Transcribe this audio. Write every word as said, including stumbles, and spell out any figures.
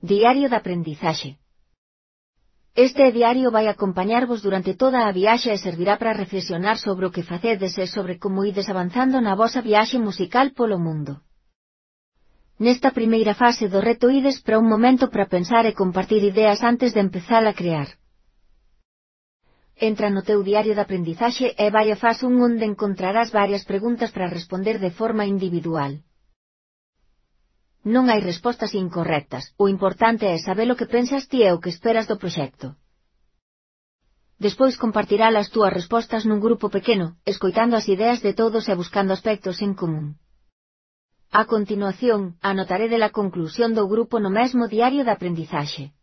Diario de aprendizaxe. Este diario vai acompañarvos durante toda a viaxe e servirá para reflexionar sobre o que facedes e sobre como ides avanzando na vosa viaxe musical polo mundo. Nesta primeira fase do reto ides para un momento para pensar e compartir ideas antes de empezar a crear. Entra no teu diario de aprendizaxe e vai a fase un onde encontrarás varias preguntas para responder de forma individual. Non hai respostas incorrectas, o importante é saber o que pensas ti e o que esperas do proxecto. Despois compartirás as túas respostas nun grupo pequeno, escoitando as ideas de todos e buscando aspectos en común. A continuación, anotaré de la conclusión do grupo no mesmo diario de aprendizaxe.